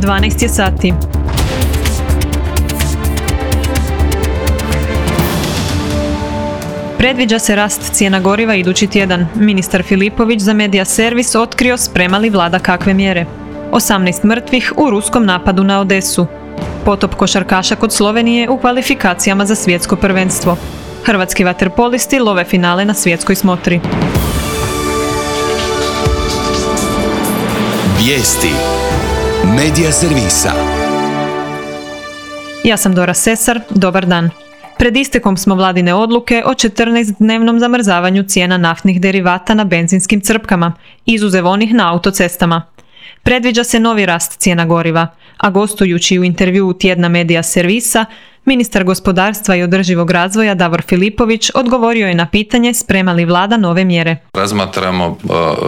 12 je sati. Predviđa se rast cijena goriva idući tjedan. Ministar Filipović za Media Servis otkrio sprema li vlada kakve mjere. 18 mrtvih u ruskom napadu na Odesu. Potop košarkaša kod Slovenije u kvalifikacijama za svjetsko prvenstvo. Hrvatski vaterpolisti love finale na svjetskoj smotri. Vijesti Media Servisa. Ja sam Dora Sesar, dobar dan. Pred istekom smo vladine odluke o 14-dnevnom zamrzavanju cijena naftnih derivata na benzinskim crpkama, izuzev onih na autocestama. Predviđa se novi rast cijena goriva, a gostujući u intervjuu tjedna Media Servisa, ministar gospodarstva i održivog razvoja Davor Filipović odgovorio je na pitanje sprema li vlada nove mjere. Razmatramo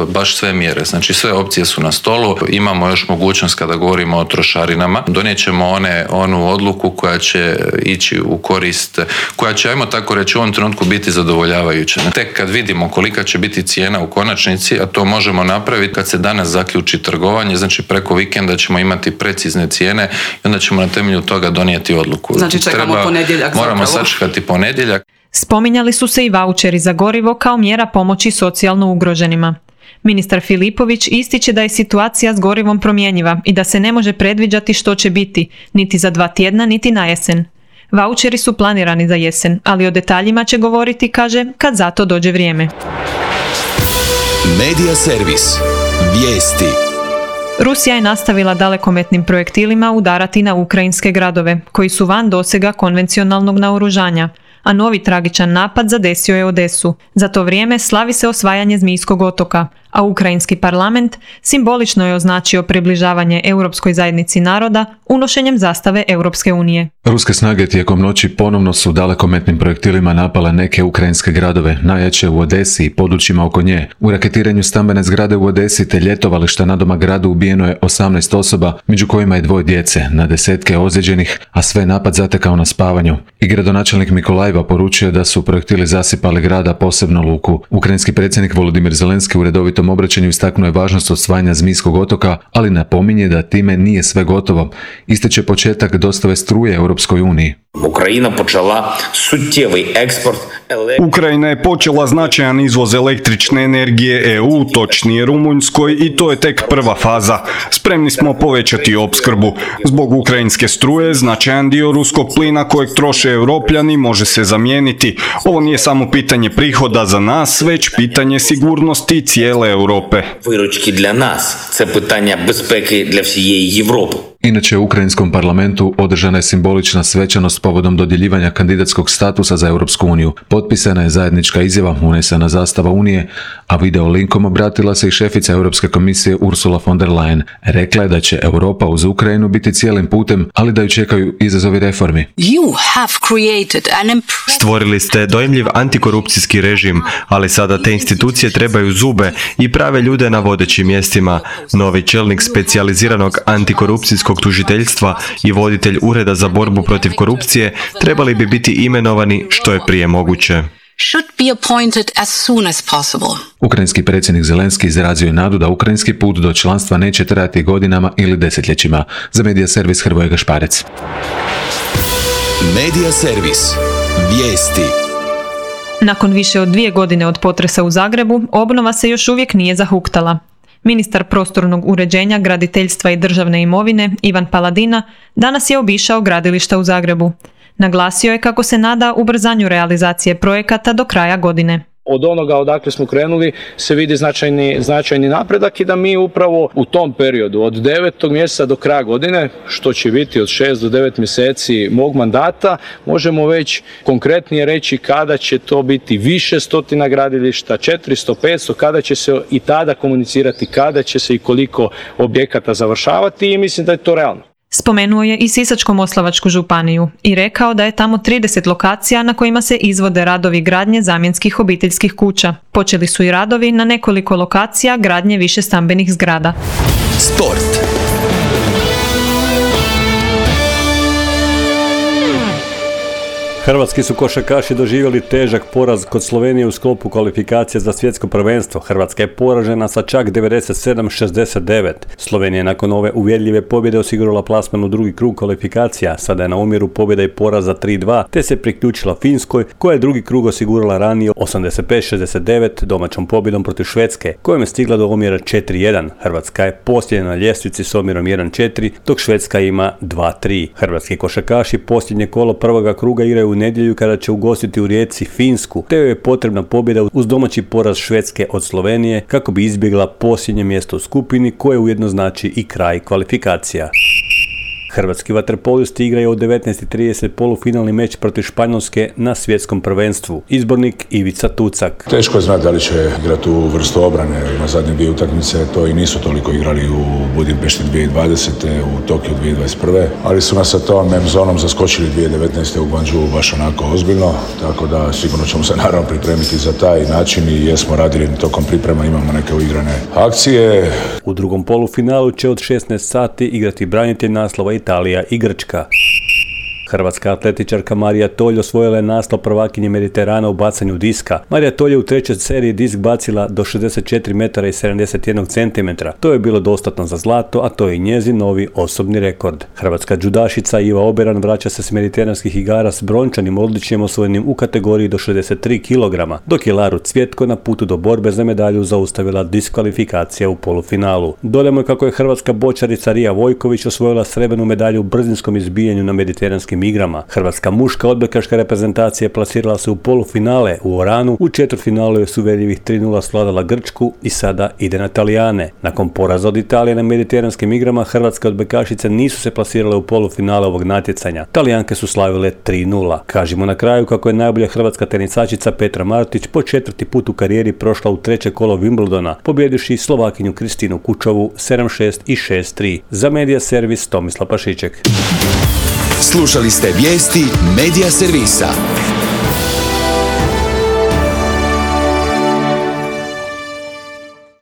baš sve mjere, znači sve opcije su na stolu, imamo još mogućnost kada govorimo o trošarinama, donijet ćemo onu odluku koja će ići u korist, koja će, ajmo tako reći, u ovom trenutku biti zadovoljavajuća. Tek kad vidimo kolika će biti cijena u konačnici, a to možemo napraviti kad se danas zaključi trgovanje, znači preko vikenda ćemo imati precizne cijene i onda ćemo na temelju toga donijeti odluku. Znači moramo sačekati ponedjeljak. Spominjali su se i vaučeri za gorivo kao mjera pomoći socijalno ugroženima. Ministar Filipović ističe da je situacija s gorivom promjenjiva i da se ne može predviđati što će biti, niti za 2 tjedna, niti na jesen. Vaučeri su planirani za jesen, ali o detaljima će govoriti, kaže, kad za to dođe vrijeme. Media Servis. Vijesti. Rusija je nastavila dalekometnim projektilima udarati na ukrajinske gradove, koji su van dosega konvencionalnog naoružanja, a novi tragičan napad zadesio je Odesu. Za to vrijeme slavi se osvajanje Zmijskog otoka, a ukrajinski parlament simbolično je označio približavanje Europskoj zajednici naroda unošenjem zastave Europske unije. Ruske snage tijekom noći ponovno su dalekometnim projektilima napale neke ukrajinske gradove, najjače u Odesi i područjima oko nje. U raketiranju stambene zgrade u Odesi te ljetovališta nadomak gradu ubijeno je 18 osoba, među kojima je 2 djece, na desetke ozlijeđenih, a sve napad zatekao na spavanju. I gradonačelnik Mikolajeva poručio da su projektili zasipali grada, posebno luku. Ukrajinski predsjednik Volodimir Zelenski u redovitom obraćanju istaknuo je važnost osvajanja Zmijskog otoka, ali napominje da time nije sve gotovo. Ističe početak dostave struje Europskoj uniji. Ukrajina je počela značajan izvoz električne energije EU, točnije Rumunjskoj, i to je tek prva faza. Spremni smo povećati opskrbu. Zbog ukrajinske struje, značajan dio ruskog plina kojeg troše Europljani može se zamijeniti. Ovo nije samo pitanje prihoda za nas, već pitanje sigurnosti cijele Europe. Виручки для нас – це питання безпеки для всієї Європи. Inače, u Ukrajinskom parlamentu održana je simbolična svečanost povodom dodjeljivanja kandidatskog statusa za Europsku uniju. Potpisana je zajednička izjava, unesena zastava Unije, a video linkom obratila se i šefica Europske komisije Ursula von der Leyen. Rekla je da će Europa uz Ukrajinu biti cijelim putem, ali da ju čekaju izazovi reformi. Stvorili ste dojmljiv antikorupcijski režim, ali sada te institucije trebaju zube i prave ljude na vodećim mjestima. Novi čelnik specijaliziranog antikorupcijskog tužiteljstva i voditelj Ureda za borbu protiv korupcije trebali bi biti imenovani što je prije moguće. Ukrajinski predsjednik Zelenski izrazio je nadu da ukrajinski put do članstva neće trajati godinama ili desetljećima. Za Media Servis Hrvoje Gašparec. Media Servis. Vijesti. Nakon više od 2 godine od potresa u Zagrebu, obnova se još uvijek nije zahuktala. Ministar prostornog uređenja, graditeljstva i državne imovine Ivan Paladina danas je obišao gradilišta u Zagrebu. Naglasio je kako se nada ubrzanju realizacije projekata do kraja godine. Od onoga odakle smo krenuli se vidi značajni napredak i da mi upravo u tom periodu od 9. mjeseca do kraja godine, što će biti od 6 do 9 mjeseci mog mandata, možemo već konkretnije reći kada će to biti više stotina gradilišta, 400, 500, kada će se i tada komunicirati, kada će se i koliko objekata završavati, i mislim da je to realno. Spomenuo je i Sisačko-moslavačku županiju i rekao da je tamo 30 lokacija na kojima se izvode radovi gradnje zamjenskih obiteljskih kuća. Počeli su i radovi na nekoliko lokacija gradnje višestambenih zgrada. Sport. Hrvatski su košarkaši doživjeli težak poraz kod Slovenije u sklopu kvalifikacije za svjetsko prvenstvo. Hrvatska je poražena sa čak 97-69. Slovenija je nakon ove uvjerljive pobjede osigurala plasman u drugi krug kvalifikacija. Sada je na omjeru pobjeda i poraza 3-2, te se priključila Finskoj, koja je drugi krug osigurala ranije 85-69 domaćom pobjedom protiv Švedske, kojom je stigla do omjera 4-1. Hrvatska je posljednja na ljestvici s omjerom 1-4, dok Švedska ima 2-3. Hrvatski košarkaši posljednje kolo prvoga kruga igraju u nedjelju kada će ugostiti u Rijeci Finsku, te joj je potrebna pobjeda uz domaći poraz Švedske od Slovenije kako bi izbjegla posljednje mjesto u skupini, koje ujedno znači i kraj kvalifikacija. Hrvatski vaterpolisti igraju u 19:30 polufinalni meč protiv Španjolske na svjetskom prvenstvu. Izbornik Ivica Tucak. Teško je znati da li će igrati u vrstu obrane. Na zadnje dvije utakmice to i nisu toliko igrali u Budimpešti 2020. u Tokiju 2021. Ali su nas sa tom zonom zaskočili 2019. u Guangzhou baš onako ozbiljno. Tako da sigurno ćemo se naravno pripremiti za taj način i jesmo radili tokom priprema, imamo neke uigrane akcije. U drugom polufinalu će od 16 sati igrati branitelj naslova Italija i Grčka. Hrvatska atletičarka Marija Tolj osvojila je naslov prvakinje Mediterana u bacanju diska. Marija Tolj je u trećoj seriji disk bacila do 64 metara i 71 cm. To je bilo dostatno za zlato, a to je i njezin novi osobni rekord. Hrvatska džudašica Iva Oberan vraća se s mediteranskih igara s brončanim odličjem osvojenim u kategoriji do 63 kg, dok je Laru Cvjetko na putu do borbe za medalju zaustavila diskvalifikacija u polufinalu. Dodajmo kako je hrvatska bočarica Rija Vojković osvojila srebrnu medalju u brzinskom izbijanju na mediteranskim igrama. Hrvatska muška odbojkaška reprezentacija plasirala se u polufinale u Oranu, u četvrtfinalu je s uvjerljivih 3:0 svladala Grčku i sada ide na Talijane. Nakon poraza od Italije na mediteranskim igrama, hrvatske odbojkašice nisu se plasirale u polufinale ovog natjecanja. Talijanke su slavile 3:0. Kažimo na kraju kako je najbolja hrvatska tenisačica Petra Martić po četvrti put u karijeri prošla u treće kolo Wimbledona, pobjedivši Slovakinju Kristinu Kučovu 7-6 i 6-3. Za Medija Servis Tomislav Pašiček. Slušali ste vijesti Medija Servisa.